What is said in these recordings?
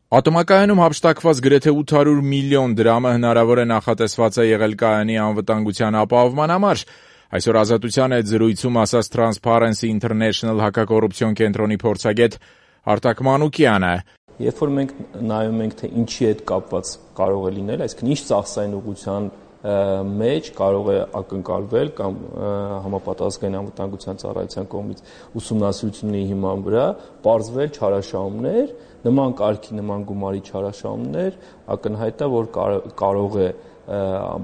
Ատոմակայանում հափշտակված գրեթե 800 միլիոն դրամը հնարավոր է նախատեսված է եղել կայանի անվտանգության ապահովման համար։ Այսօր Ազատության հետ զրույցում ասաց Transparency International հակակոռուպցիոն կենտրոնի փորձագետ Արտակ Մանուկյանը։ Երբ որ մենք նայում ենք, թե ինչի հետ կապված կարող է լինել, այսինքն ինչ ծախսային ուղղության մեջ կարող է ակնկալվել կամ համապատասխան անվտանգության ծառայության կողմից ուսումնասիրությունների հիման վրա պարզվել չարաշահումներ, նման կարգի, նման գումարի չարաշահումներ, ակնհայտ է, որ կարող է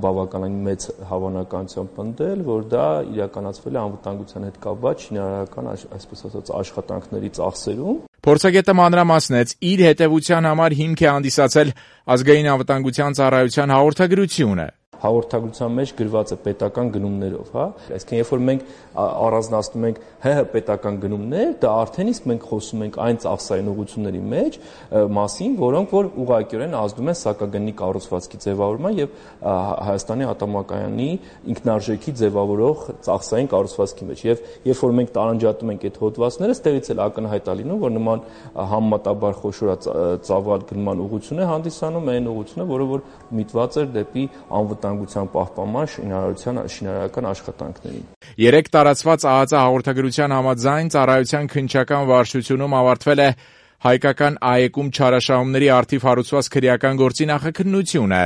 բավականին մեծ հավանականությամբ պնդել, որ դա իրականացվել է անվտանգության հետ կապված շինարարական, այսպես ասած, աշխատանքների ծախսերում։ Փորձագետը մանրամասնեց, իր հետևության համար հիմք է հանդիսացել ազգային անվտանգության ծառայության հաղորդագրությունը։ Հաղորդագրության մեջ գրված է պետական գնումներով, հա։ Այսինքն, երբ որ մենք առանձնացնում ենք ՀՀ պետական գնումներ, դա արդեն իսկ մենք խոսում ենք այն ծախսային ուղղությունների մեջ մասին, որոնք որ ուղղակիորեն ազդում են սակագնի կառուցվածքի ձևավորման եւ Հայաստանի ատոմակայանի ինքնարժեքի ձևավորող ծախսային կառուցվածքի մեջ։ Եվ երբ որ մենք տարանջատում ենք այդ հոդվածները, ստեղից էլ ակնհայտ է լինում, որ նման համեմատաբար խոշոր ծավալ գնման ուղղություն է հանդիսանում այն ուղղությունը, որը որ միտված էր դեպի անվտանգության պահպանման շինարարական աշխատանքներին։ 3 տարածված ԱԱԾ հաղորդագրության համաձայն ծառայության քննչական վարչությունում ավարտվել է հայկական ԱԵԿ-ում չարաշահումների առթիվ հարուցված քրեական գործի նախաքննությունը։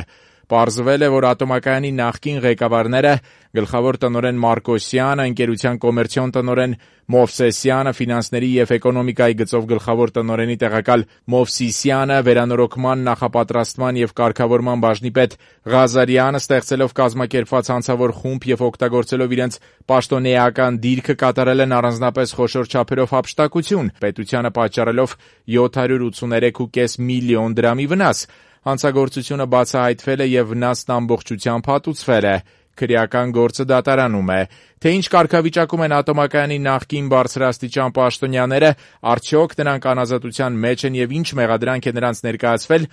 Պարզվել է, որ ատոմակայանի նախկին ղեկավարները գլխավոր տնօրեն Մարկոսյանը, ընկերության կոմերցիոն տնօրեն Մովսեսյանը, ֆինանսների եւ էկոնոմիկայի գծով գլխավոր տնօրենի տեղակալ Մովսիսյանը, վերանորոգման, նախապատրաստման եւ կարգավորման բաժնի պետ Ղազարյանը ստեղծելով կազմակերպված հանցավոր խումբ եւ օգտագործելով իրենց պաշտոնեական դիրքը կատարել են առանձնապես խոշոր չափերով հափշտակություն, պետությանը պատճառելով 783.5 միլիոն դրամի վնաս։ Հանցագործությունը բացահայտվել է եւ վնասն ամբողջությամբ հատուցվել է։ Քրեական գործը դատարանում է։ Թե ինչ կարգավիճակում են ատոմակայանի նախկին բարձրաստիճան պաշտոնյաները, արդյոք նրանք անազատության մեջ են եւ ինչ մեղադրանք է նրանց ներկայացվել,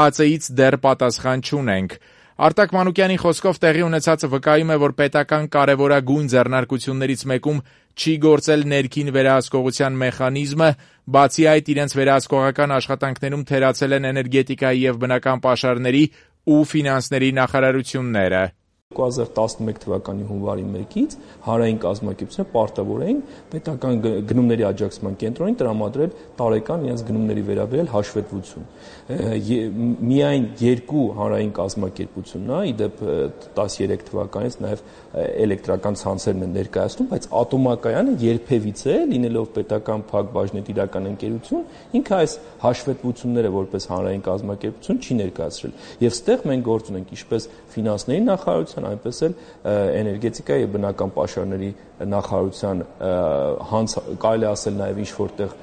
ԱԱԾ-ից դեռ պատասխան չունենք։ Արտակ Մանուկյանի խոսքով տեղի ունեցածը վկայում է, որ պետական կարևորագույն ձեռնարկություններից մեկում չի գործել ներքին վերահսկողության մեխանիզմը, բացի այդ իրենց վերահսկողական աշխատանքներում թերացել են էներգետիկայի եւ բնական պաշարների ու ֆինանսների նախարարությունները։ 2011 թվականի հունվարի 1-ից հանրային կազմակերպությունը պարտավորեն պետական գնումների աջակցման կենտրոնին տրամադրել տարեկան իրենց գնումների վերաբերյալ հաշվետվություն։ Միայն 2 հանրային կազմակերպությունն է, իդեպ 13 թվականից նաև էլեկտրական ցանցերն են ներկայացնում, բայց ատոմակայանը երբևիցե լինելով պետական փակ բաժնետիրական ընկերություն, ինքը այս հաշվետվությունները որպես հանրային կազմակերպություն չի ներկայացրել։ Եվ ստեղ մենք գործ ունենք ինչպես ֆինանսների նախարարության, այնպես էլ էներգետիկայի եւ բնական պաշարների նախարարության կարելի ասել նաեւ ինչ որտեղ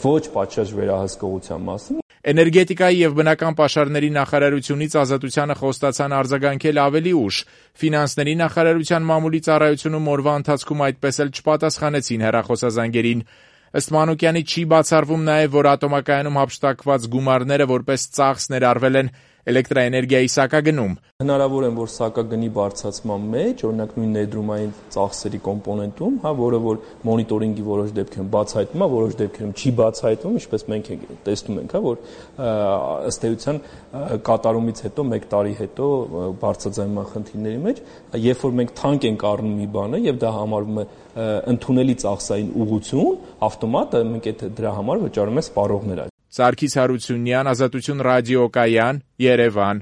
ոչ պատշաճ վերահսկողության մասին։ Էներգետիկայի եւ բնական պաշարների նախարարությունից Ազատությանը խոստացան արձագանքել ավելի ուշ։ Ֆինանսների նախարարության մամուլի ծառայությունում օրվա ընթացքում այդպես էլ չպատասխանեցին հեռախոսազանգերին։ Ըստ Մանուկյանի չի բացառվում նաև, որ ատոմակայանում հափշտակված գումարները որպես ծախս ներառվել են էլեկտրաէներգիայի սակագնում։ Հնարավոր է, որ սակագնի բարձրացման մեջ, օրինակ նույն ներդրումային ծախսերի կոմպոնենտում, որը որ մոնիտորինգի որոշ դեպքերում բացահայտվում է, որոշ դեպքերում չի բացահայտվում, ինչպես մենք տեսնում ենք, որ ըստ էության կատարումից հետո 1 տարի հետո բարձրաձայնման խնդիրների մեջ, երբ որ մենք թանկ ենք առնում մի բանը եւ դա համարվում է ընդունելի ծախսային ուղղություն, ավտոմատ մենք դրա համար վճարում ենք սպառողներ։ Սարգիս Հարությունյան, Ազատություն ռադիոկայան, Երևան։